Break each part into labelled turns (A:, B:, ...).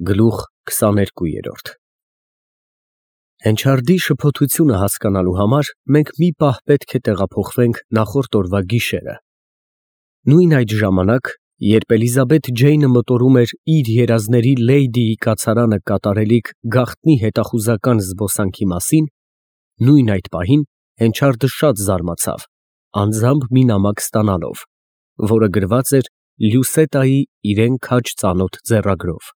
A: Գլուխ 22 Հենչարդի շփոթությունը հասկանալու համար մենք մի պահ պետք է տեղափոխվենք նախորդ օրվա գիշերը։ Նույն այդ ժամանակ, երբ Էլիզաբեթ Ջեյնը մտորում էր իր երազների Լեյդիի կացարանը կատարելիք գաղտնի հետախուզական զբոսանքի մասին, նույն այդ պահին Հենչարդը շատ զարմացավ, անձամբ մի նամակ ստանալով, որը գրված էր Լյուսետայի իրեն քաջ ծանոթ ձեռագրով։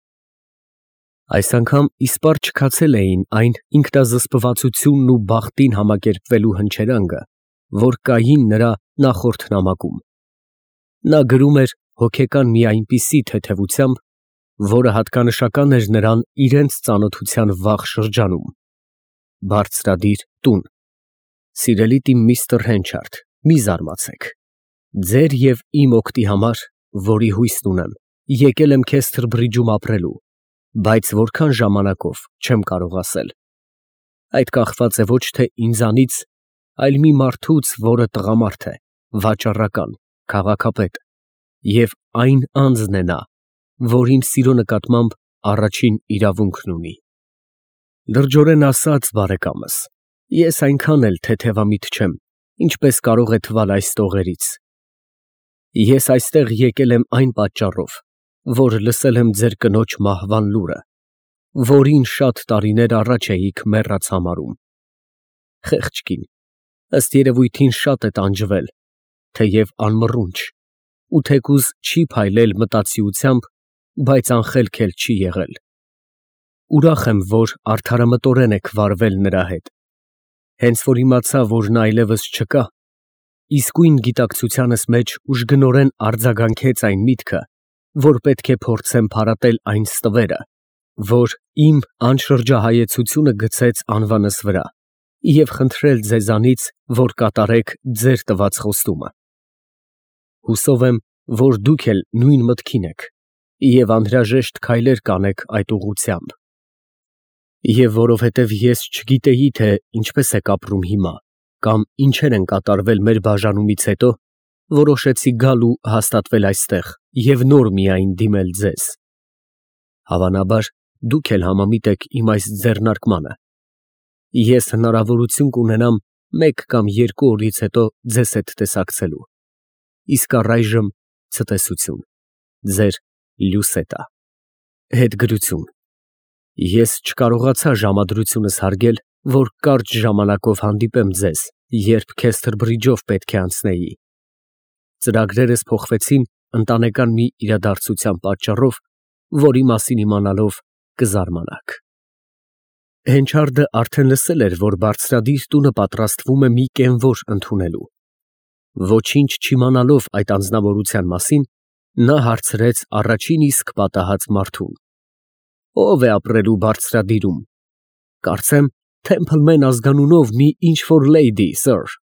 A: Այս անգամ իսպառ չքացել էին այն ինքնազսպվածությունն ու բախտին համակերպվելու հնչերանգը, որ կային նրա նախորդ նամակում։ Նա գրում էր հոգեկան մի այնպիսի թեթևությամբ, որը հատկանշական էր նրան իրենց ծանոթության վաղ շրջանում։ Բարձրադիր տուն։ Սիրելի տի միստր Հենչարդ, մի զարմացեք։ Ձեր և իմ օգտի համար, որի հույսն ունեմ, եկել եմ Քեսթրբրիջում ապրելու, բայց որքան ժամանակով չեմ կարող ասել։ Այդ կախված է ոչ թե ինձանից, այլ մի մարդուց, որը տղամարդ է, վաճառական, քաղաքապետ, և այն անձն է նա, որ իմ սիրո նկատմամբ առաջին իրավունքն ունի։ Լրջորեն ասած, բարեկամս, ես այնքան էլ թեթևամիտ չեմ, ինչպես կարող է թվալ այս տողերից։ Ես այստեղ եկել եմ այն պատճառով, որ լսել եմ ձեր կնոջ մահվան լուրը, որին շատ տարիներ առաջ էիք մեռած համարում։ Խեղճ կին, ըստ երևույթին շատ է տանջվել, թեև անմռունչ, ու թեկուզ չի փայլել մտածիությամբ, բայց անխելք էլ չի եղել։ Ուրախ եմ, որ արդարամտորեն եք վարվել նրա հետ, հենց որ իմացա, որ նա այլևս չկա, իսկույն գիտակցությանս մեջ ուժգնորեն արձագանքեց այն միտքը, որ պետք է փորձեմ փարատել այն ստվերը, որ իմ անշրջահայեցությունը գցեց անվանս վրա, և խնդրել ձեզանից, որ կատարեք ձեր տված խոստումը։ Հուսով եմ, որ դուք էլ նույն մտքին եք և անհրաժեշտ քայլեր կանեք այդ ուղղությամբ։ Եվ որովհետև ես չգիտեի, թե ինչպես եք ապրում հիմա, կամ ինչեր են կատարվել մեր բաժանումից հետո, որոշեցի գալ ու հաստատվել այստեղ և նոր միայն դիմել ձեզ։ Հավանաբար, դուք էլ համամիտ եք իմ այս ձեռնարկմանը։ Ես հնարավորություն կունենամ մեկ կամ երկու օրից հետո ձեզ հետ տեսակցելու։ Իսկ առայժմ ցտեսություն։ Ձեր Լյուսետա։ Հետգրություն։ Ես չկարողացա ժամադրությունս հարգել, որ կարճ ժամանակով հանդիպեմ ձեզ, երբ Քեսթրբրիջով պետք է անցնեի։ Ծրագրերս փոխվեցին ընտանեկան մի իրադարձության պատճառով, որի մասին իմանալով կզարմանաք։ Հենչարդը արդեն լսել էր, որ բարձրադիր տունը պատրաստվում է մի կենվոր ընդունելու։ Ոչինչ չիմանալով այդ անձնավորության մասին, նա հարցրեց առաջին իսկ պատահած մարդուն. Ո՞վ է ապրելու բարձրադիրում։ Կարծեմ, Թեմփլմեն ազգանունով մի ինչ֊որ լեյդի, սըր,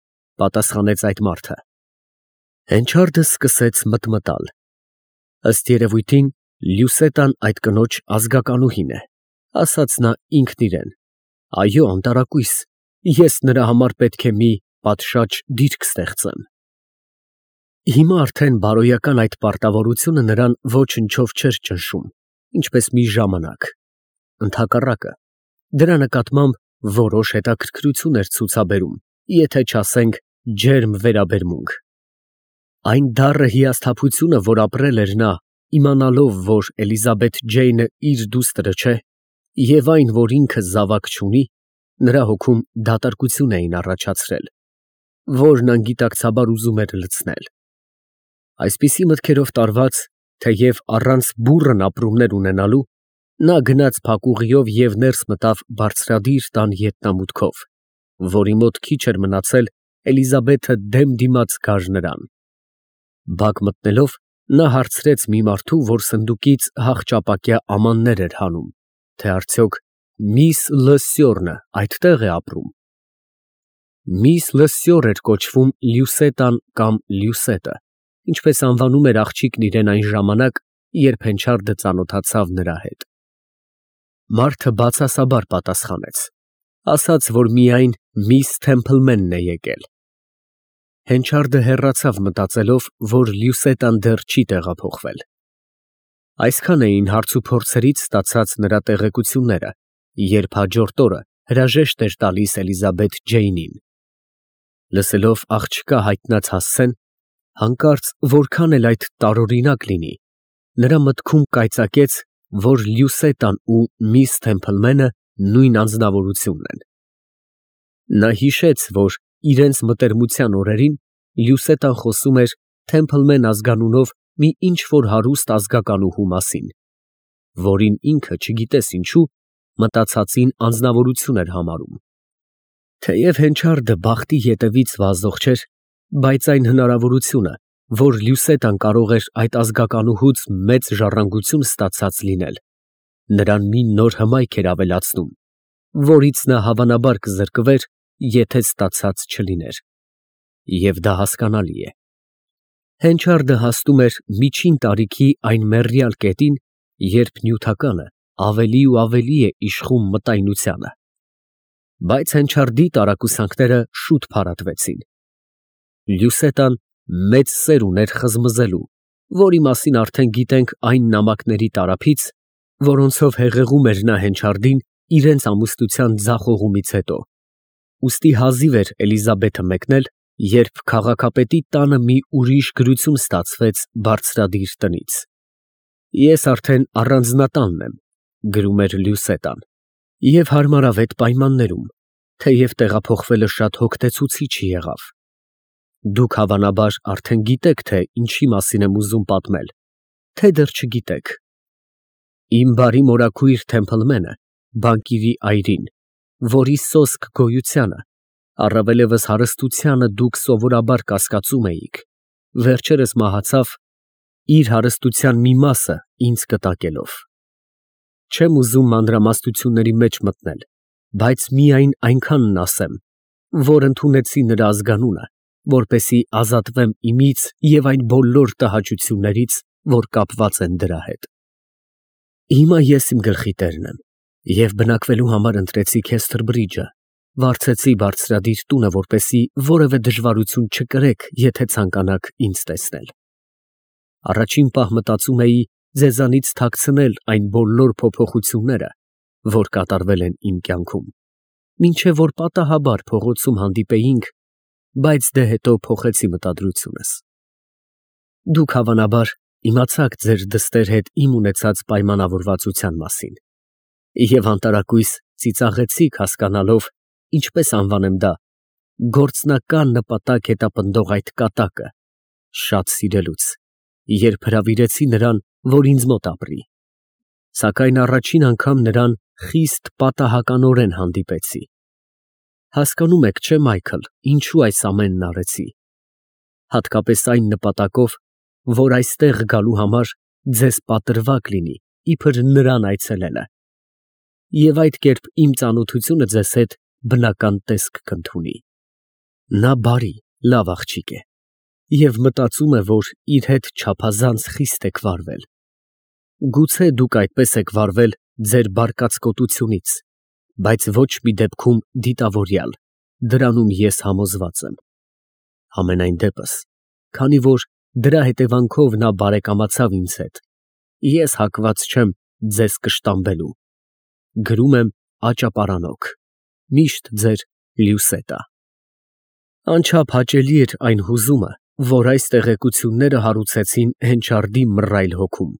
A: պատասխանեց այդ մարդը։ Հենչարդը սկսեց մտմտալ։ Ըստ երևույթին, Լյուսետան այդ կնոջ ազգականուհին է, ասաց նա ինքն իրեն։ Այո, անտարակույս, ես նրա համար պետք է մի պատշաճ դիրք ստեղծեմ։ Հիմա արդեն բարոյական այդ պարտավորությունը նրան ոչնչով չէր ճնշում, ինչպես մի ժամանակ։ Ընդհակառակը, դրա նկատմամբ որոշ հետաքրքրություն էր ցուցաբերում, եթե չասենք ջերմ վերաբերմունք։ Այն դառը հիասթափությունը, որ ապրել էր նա, իմանալով, որ Էլիզաբեթ Ջեյնը իր դուստրը չէ, և այն, որ ինքը զավակ չունի, նրա հոգում դատարկություն էին առաջացրել, որն անգիտակցաբար ուզում էր լցնել։ Այսպիսի մտքերով տարված, թեև առանց բուռն ապրումներ ունենալու, նա գնաց փակուղիով և ներս մտավ բարձրադիր տան ետնամուտքով, որի մոտ քիչ էր մնացել Էլիզաբեթը դեմ դիմաց գար նրան։ Բակ մտնելով, նա հարցրեց մի մարդու, որ սնդուկից հախճապակյա ամաններ էր հանում, թե արդյոք միս Լսյորնը այդտեղ է ապրում։ Միս Լսյոր էր կոչվում Լյուսետան կամ Լյուսետը, ինչպես անվանում էր աղջիկն իրեն այն ժամանակ, երբ Հենչարդը ծանոթացավ նրա հետ։ Մարդը բացասաբար պատասխանեց, ասաց, որ միայն միս Թեմփլմենն է եկել։ Հենչարդը հեռացավ մտածելով, որ Լյուսետան դեռ չի տեղափոխվել։ Այսքան էին հարց ու փորձերից ստացած նրա տեղեկությունները, երբ հաջորդ օրը հրաժեշտ էր տալիս Էլիզաբեթ Ջեյնին։ Լսելով աղջկա հայտնած հասցեն, հանկարծ որքան էլ այդ տարօրինակ լինի, նրա մտքում կայծակեց, որ Լյուսետան ու միս Թեմփլմենը նույն անձնավորությունն են։ Նա հիշեց, որ իրենց մտերմության օրերին Լյուսետան խոսում էր Թեմփլմեն ազգանունով մի ինչ-որ հարուստ ազգականուհու մասին, որին ինքը չգիտես ինչու մտածածին անձնավորություն էր համարում։ Թեև Հենչարդը բախտի ետևից վազող չէր, բայց այն հնարավորությունը, որ Լյուսետան կարող էր այդ ազգականուհուց մեծ ժառանգություն ստացած լինել, նրան մի նոր հմայք էր ավելացնում, որից նա հավանաբար կզրկվեր, եթե ստացած չլիներ։ Եվ դա հասկանալի է։ Հենչարդը հասնում էր միջին տարիքի այն մեռյալ կետին, երբ նյութականը ավելի ու ավելի է իշխում մտայնությանը։ Բայց Հենչարդի տարակուսանքները շուտ փարատվեցին։ Լյուսետան մեծ սեր ուներ խզմզելու, որի մասին արդեն գիտենք այն նամակների տարափից, որոնցով հեղեղում էր նա Հենչարդին իրենց ամուսնության ձախողումից հետո։ Ուստի հազիվ էր Էլիզաբեթը մեկնել, երբ քաղաքապետի տանը մի ուրիշ գրություն ստացվեց բարձրադիր տնից։ Ես արդեն առանձնատանն եմ, գրում էր Լյուսետան, և հարմարավետ պայմաններում, թեև տեղափոխվելը շատ հոգնեցուցիչ եղավ։ Դուք հավանաբար արդեն գիտեք, թե ինչի մասին եմ ուզում պատմել, թե դեռ չգիտեք։ Իմ բարի մորաքույր Թեմփլմենը, բանկիրի այրին, որի սոսկ գոյությանը, առավելևս հարստությանը դուք սովորաբար կասկածում էիք, վերջերս մահացավ, իր հարստության մի մասը ինձ կտակելով։ Չեմ ուզում մանրամասնությունների մեջ մտնել, բայց միայն այնքանն ասեմ, որ ընդունեցի նրա ազգանունը, որպեսզի ազատվեմ իմից և այն բոլոր տհաճություններից, որ կապված են դրա հետ։ Հիմա ես իմ գլխի տերն եմ, և բնակվելու համար ընտրեցի Քեսթրբրիջը, վարձեցի բարձրադիր տունը, որպեսզի որևէ դժվարություն չկրեք, եթե ցանկանաք ինձ տեսնել։ Առաջին պահ մտածում էի ձեզանից թաքցնել այն բոլոր փոփոխությունները, որ կատարվել են իմ կյանքում, մինչև որ պատահաբար փողոցում հանդիպեինք, բայց դե հետո փոխեցի մտադրությունս։ Դուք հավանաբար իմացաք ձեր դստեր հետ իմ ունեցած պայմանավորվածության մասին, և անտարակույս ծիծաղեցիք հասկանալով, ինչպես անվանեմ դա, գործնական նպատակ հետապնդող այդ կատակը, շատ սիրելուց, երբ հրավիրեցի նրան, որ ինձ մոտ ապրի, սակայն առաջին անգամ նրան խիստ պատահականորեն հանդիպեցի։ Հասկանում եք, չէ՞, Մայքլ, ինչու այս ամենն արեցի։ Հատկապես այն նպատակով, որ այստեղ գալու համար ձեզ պատրվակ լինի, իբր նրան այցելելը, և այդ կերպ իմ ծանոթությունը ձեզ հետ բնական տեսք կընդունի։ Նա բարի, լավ աղջիկ է, և մտածում է, որ իր հետ չափազանց խիստ եք վարվել։ Գուցե դուք այդպես եք վարվել ձեր բարկացկոտությունից, բայց ոչ մի դեպքում դիտավորյալ, դրանում ես համոզված եմ։ Համենայն դեպս, քանի որ դրա հետևանքով նա բարեկամացավ ինձ հետ, ես հակված չեմ ձեզ կշտամբելու։ Գրում եմ Աճապարանոք, միշտ ձեր Լյուսետա։ Անչափ հաճելի էր այն հուզումը, որ այս տեղեկությունները հարուցեցին Հենչարդի մռայլ հոգում։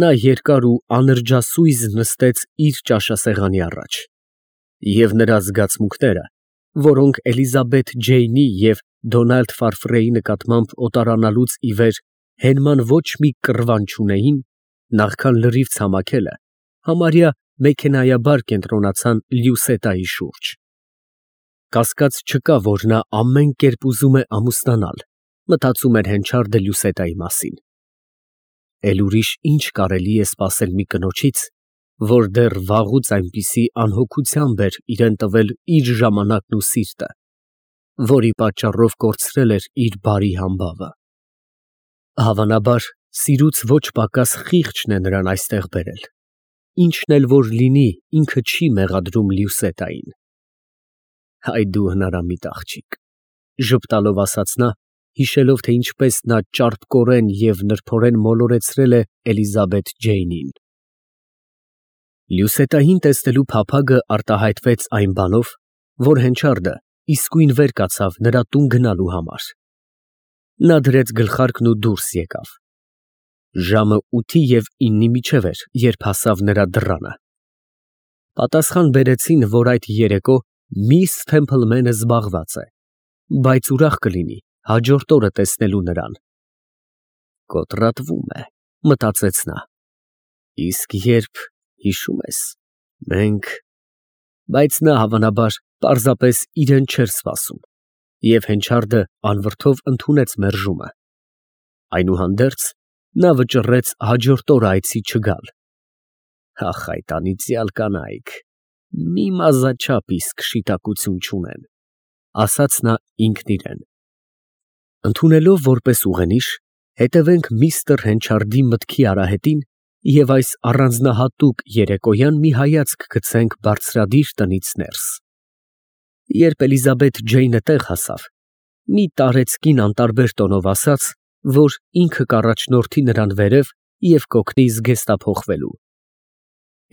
A: Նա երկար ու անրջասույզ նստեց իր ճաշասեղանի առաջ, և նրա զգացմունքները, որոնք Էլիզաբեթ Ջեյնի և Դոնալդ Ֆարֆրեի նկատմամբ օտարանալուց ի վեր հենման ոչ մի կռվան չունեին, նախքան լրիվ ցամաքելը, համարյա մեքենայաբար կենտրոնացան Լյուսետայի շուրջ։ Կասկած չկա, որ նա ամեն կերպ ուզում է ամուսնանալ, մտածում էր Հենչարդը Լյուսետայի մասին։ Էլ ուրիշ ինչ կարելի է սպասել մի կնոջից, որ դեռ վաղուց այնպիսի անհոգությամբ էր իրեն տվել իր ժամանակն ու սիրտը, որի պատճառով կորցրել էր իր բարի համբավը։ Հավանաբար, սիրուց ոչ պակաս խիղճն է նրան այստեղ բերել։ Ինչն էլ որ լինի, ինքը չի մեղադրում Լյուսետային։ Հայ դու հնարամիտ աղջիկ, ժպտալով ասաց նա, հիշելով, թե ինչպես նա ճարպկորեն և նրբորեն մոլորեցրել է Էլիզաբեթ Ջեյնին։ Լյուսետային տեսնելու փափագը արտահայտվեց այն բանով, որ Հենչարդը իսկույն վեր կացավ նրա տուն գնալու համար։ Նա դրեց գլխարկն ու դուրս եկավ։ Ժամը 8-9-ի միջև էր, երբ հասավ նրա դռանը։ Պատասխան բերեցին, որ այդ երեկո միս Թեմփլմենը զբաղված է, բայց ուրախ կլինի հաջորդ օրը տեսնելու նրան։ Կոտրատվում է, մտածեց նա։ Իսկ երբ, հիշում ես, մենք… Բայց նա հավանաբար պարզապես իրեն չէր սպասում, և Հենչարդը անվրդով ընդունեց մերժումը։ Այնուհանդերձ, նա վճռեց հաջորդ օրը այցի չգալ։ Ախ, այդ անիծյալ կանայք, մի մազաչափ իսկ շիտակություն չունեն, ասաց նա ինքն իրեն։ Ընդունելով որպես ուղենիշ, հետևենք միստր Հենչարդի մտքի արահետին և այս առանձնահատուկ երեկոյան մի հայացք գցենք բարձրադիր տնից ներս։ Երբ Էլիզաբեթ Ջեյնը տեղ հասավ, մի տարեցկին անտարբեր տոնով ասաց, որ ինքը կառաջնորդի նրան վերև և կօգնի զգեստափոխվելու։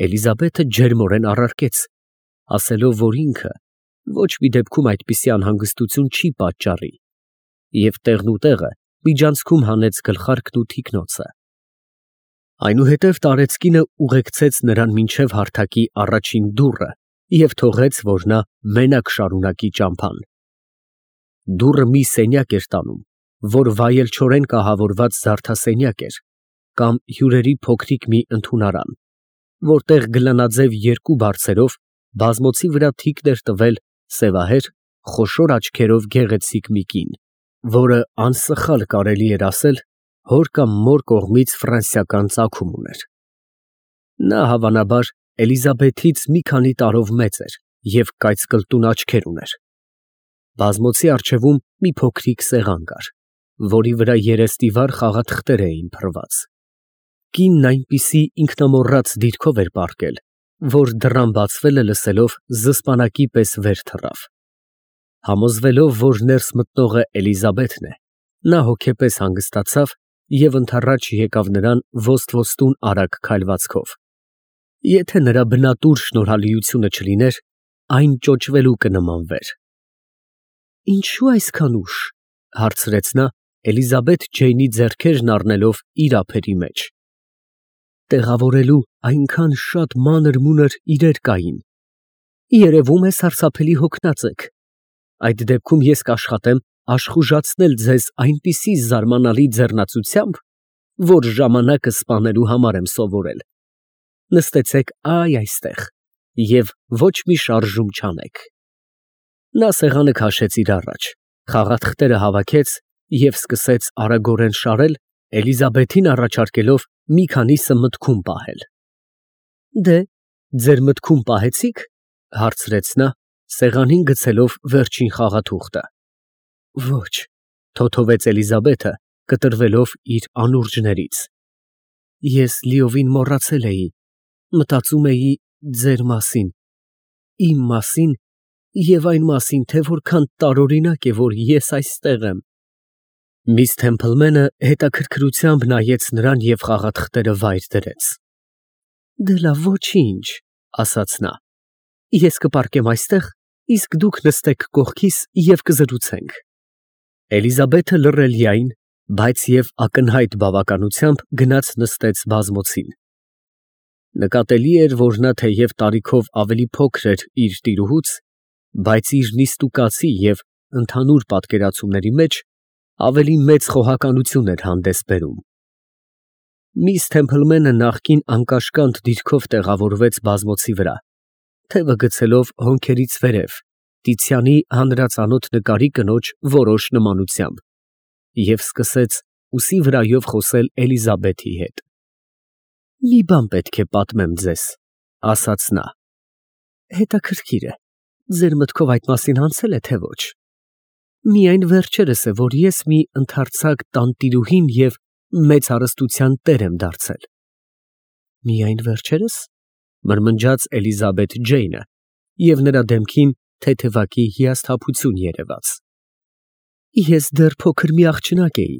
A: Էլիզաբեթը ջերմորեն առարկեց, ասելով, որ ինքը ոչ մի դեպքում այդպիսի անհանգստություն չի պատճառի, և տեղնուտեղը միջանցքում հանեց գլխարկն ու թիկնոցը։ Այնուհետև տարեցկինը ուղեկցեց նրան մինչև հարթակի առաջին դուռը և թողեց, որ նա մենակ շարունակի ճամփան։ Դուռը մի սենյակ էր տանում, որ վայելչորեն կահավորված զարդասենյակ էր կամ հյուրերի փոքրիկ մի ընդունարան, որտեղ գլանաձև երկու բարձերով բազմոցի վրա թիկն էր տվել սևահեր, խոշոր աչքերով գեղեցիկ մի կին, որը անսխալ կարելի էր ասել հոր կամ մոր կողմից ֆրանսիական ծագում ուներ։ Նա հավանաբար Էլիզաբեթից մի քանի տարով մեծ էր և կայծկլտուն աչքեր ուներ։ Բազմոցի առջևում մի փոքրիկ սեղան կար, որի վրա երեստիվար խաղաթղթեր էին փռված։ Կինն այնպիսի ինքնամոռաց դիրքով էր պառկել, որ դռան բացվելը լսելով զսպանակի պես վեր թռավ։ Համոզվելով, որ ներս մտնողը Էլիզաբեթն է, նա հոգեպես հանգստացավ և ընդառաջ եկավ նրան ոստ-ոստուն արագ քայլվածքով։ Եթե նրա բնատուր շնորհալիությունը չլիներ, այն ճոճվելու կնմանվեր։ Ինչո՞ւ այսքան ուշ, հարցրեց նա, Էլիզաբեթ Ջեյնի ձեռքերն առնելով իր ափերի մեջ։ Տեղավորելու այնքան շատ մանր-մունր իրեր կային։ Երևում է սարսափելի հոգնած եք։ Այդ դեպքում ես կաշխատեմ աշխուժացնել ձեզ այնպիսի զարմանալի ձեռնացությամբ, որ ժամանակը սպանելու համար եմ սովորել։ Նստեցեք այստեղ և ոչ մի շարժում չանեք։ Նա սեղանը քաշեց իր առաջ, խաղաթղթերը հավաքեց և սկսեց արագորեն շարել, Էլիզաբեթին առաջարկելով մի քանիսը մտքում պահել։ Դե, ձեր մտքում պահեցի՞ք, հարցրեց նա, սեղանին գցելով վերջին խաղաթուղթը։ Ոչ, թոթովեց Էլիզաբեթը, կտրվելով իր անուրջներից։ Ես լիովին մոռացել էի, մտածում էի ձեր մասին, իմ մասին և այն մասին, թե որքան տարօրինակ է, որ ես այստեղ եմ։ Միս Թեմփլմենը հետաքրքրությամբ նայեց նրան և խաղաթղթերը վայր դրեց։ Դե լավ, ոչինչ, ասաց նա։ Ես կպառկեմ այստեղ, իսկ դուք նստեք կողքիս և կզրուցենք։ Էլիզաբեթը լռելիայն, բայց և ակնհայտ բավականությամբ գնաց նստեց բազմոցին։ Նկատելի էր, որ նա թեև տարիքով ավելի փոքր էր իր տիրուհուց, բայց իր նիստուկացի և ընդհանուր պատկերացումների մեջ ավելի մեծ խոհականություն էր հանդես բերում։ Միս Թեմփլմենը նախկին անկաշկանդ դիրքով տեղավորվեց բազմոցի վրա, թևը գցելով հոնքերից վերև, Տիցիանի հանրածանոթ նկարի կնոջ որոշ նմանությամբ, և սկսեց ուսի վրայով խոսել Էլիզաբեթի հետ։ Մի բան պետք է պատմեմ ձեզ, ասաց նա։ Հետաքրքիր է, ձեր մտքով այդ մասին անցե՞լ է, թե ոչ։ Միայն վերջերս է, որ ես մի ընդարձակ տանտիրուհին և մեծ հարստության տեր եմ դարձել։ Միայն վերջերս, մրմնջաց Էլիզաբեթ Ջեյնը, և նրա դեմքին թեթևակի հիասթափություն երևաց։ Ես դեռ փոքր մի աղջնակ էի։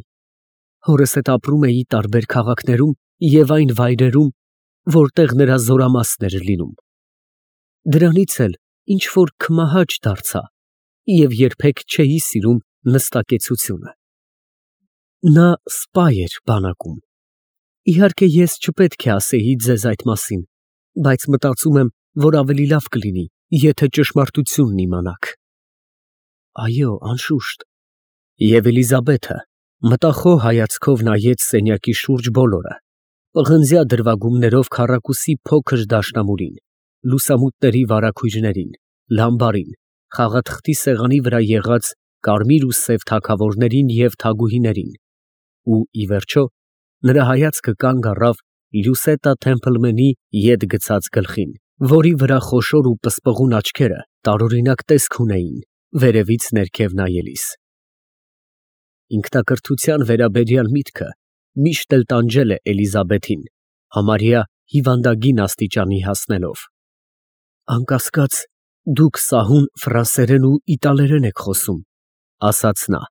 A: Հորս հետ ապրում էի տարբեր քաղաքներում և այն վայրերում, որտեղ նրա զորամասն էր լինում։ Դրանից էլ ինչ-որ քմահաճ դարձա և երբեք չէի սիրում նստակեցությունը։ Նա սպա էր բանակում։ Իհարկե, ես չպետք է ասեի ձեզ այդ մասին, բայց մտածում եմ, որ ավելի լավ կլինի, եթե ճշմարտությունն իմանաք։ Այո, անշուշտ։ Եվ Էլիզաբեթը մտախոհ հայացքով նայեց սենյակի շուրջ բոլորը, պղնձյա դրվագումներով քառակուսի փոքր դաշնամուրին, լուսամուտների վարագույրներին, լամբարին, խաղաթղթի սեղանի վրա եղած կարմիր ու սև թագավորներին և թագուհիներին, ու, ի վերջո, նրա հայացքը կանգ առավ Լյուսետա Թեմփլմենի ետ գցած գլխին, որի վրա խոշոր ու պսպղուն աչքերը տարօրինակ տեսք ունեին, վերևից ներքև նայելիս։ Ինքնակրթության վերաբերյալ միտքը միշտ էլ տանջել է Էլիզաբեթին, համարյա հիվանդագին աստիճանի հասնելով։ Անկասկած, դուք սահուն ֆրանսերեն ու իտալերեն եք խոսում, ասաց նա,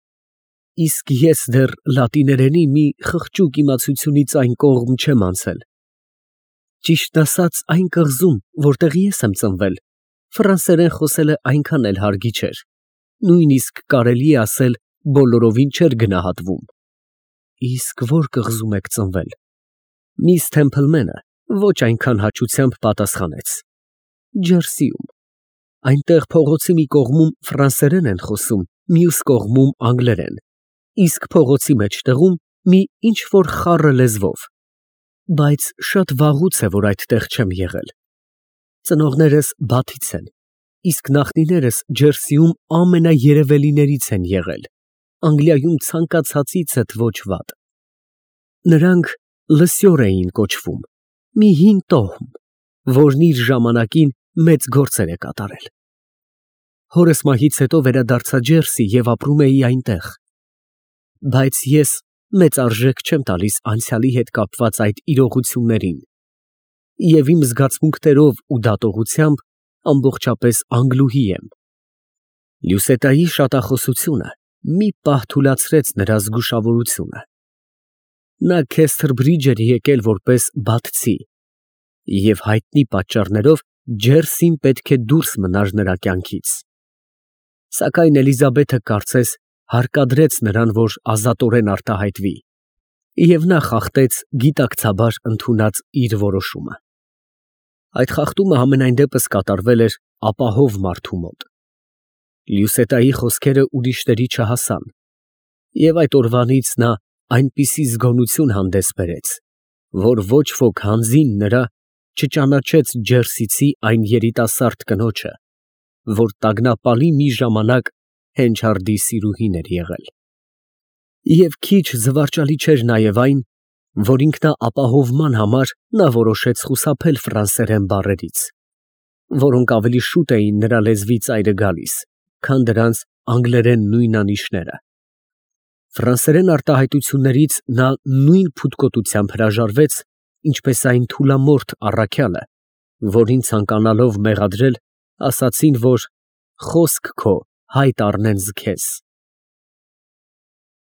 A: իսկ ես դեռ լատիներենի մի խղճուկ իմացությունից այն կողմ չեմ անցել։ Ճիշտն ասած, այն կղզում, որտեղ ես եմ ծնվել, ֆրանսերեն խոսելը այնքան էլ հարգի չէր, նույնիսկ կարելի է ասել բոլորովին չէր գնահատվում։ Իսկ ո՞ր կղզում եք ծնվել։ Միս Թեմփլմենը ոչ այնքան հաճությամբ պատասխանեց. Ջերսիում։ Այնտեղ փողոցի մի կողմում ֆրանսերեն են խոսում, մյուս կողմում անգլերեն, իսկ փողոցի մեջտեղում մի ինչ֊որ խառը լեզվով, բայց շատ վաղուց է, որ այդտեղ չեմ եղել։ Ծնողներս Բաթից են, իսկ նախնիներս Ջերսիում ամենաերևելիներից են եղել, Անգլիայում ցանկացածիցդ ոչ վատ։ Նրանք Լսյոր էին կոչվում, մի հին տոհմ, որն իր ժամանակին մեծ գործեր է կատարել։ Հորս մահից հետո վերադարձա Ջերսի և ապրում էի այնտեղ։ Բայց ես մեծ արժեք չեմ տալիս անցյալի հետ կապված այդ իրողություններին և իմ զգացմունքներով ու դատողությամբ ամբողջապես անգլուհի եմ։ Լյուսետայի շատախոսությունը մի պահ թուլացրեց նրա զգուշավորությունը։ Նա Քեսթրբրիջ էր եկել որպես բաթցի և հայտնի պատճառներով Ջերսին պետք է դուրս մնար նրա կյանքից։ Սակայն Էլիզաբեթը կարծես հարկադրեց նրան, որ ազատորեն արտահայտվի, և նա խախտեց գիտակցաբար ընդունած իր որոշումը։ Այդ խախտումը համենայն դեպս կատարվել էր ապահով մարդու մոտ։ Լյուսետայի խոսքերը ուրիշների չհասան, և այդ օրվանից նա այնպիսի զգոնություն հանդես բերեց, որ ոչ ոք հանձին նրա չճանաչեց Ջերսիցի այն երիտասարդ կնոջը, որ տագնապալի մի ժամանակ Հենչարդի սիրուհին էր եղել։ Եվ քիչ զվարճալի չէր նաև այն, որ ինքնաապահովման համար նա որոշեց խուսափել ֆրանսերեն բառերից, որոնք ավելի շուտ էին նրա լեզվի ծայրը գալիս, քան դրանց անգլերեն նույնանիշները։ Ֆրանսերեն արտահայտություններից նա նույն փութկոտությամբ հրաժարվեց, ինչպես այն թուլամորթ առաքյալը, որին ցանկանալով մեղադրել, ասացին, որ խոսք քո հայտ առնեն ձեզ։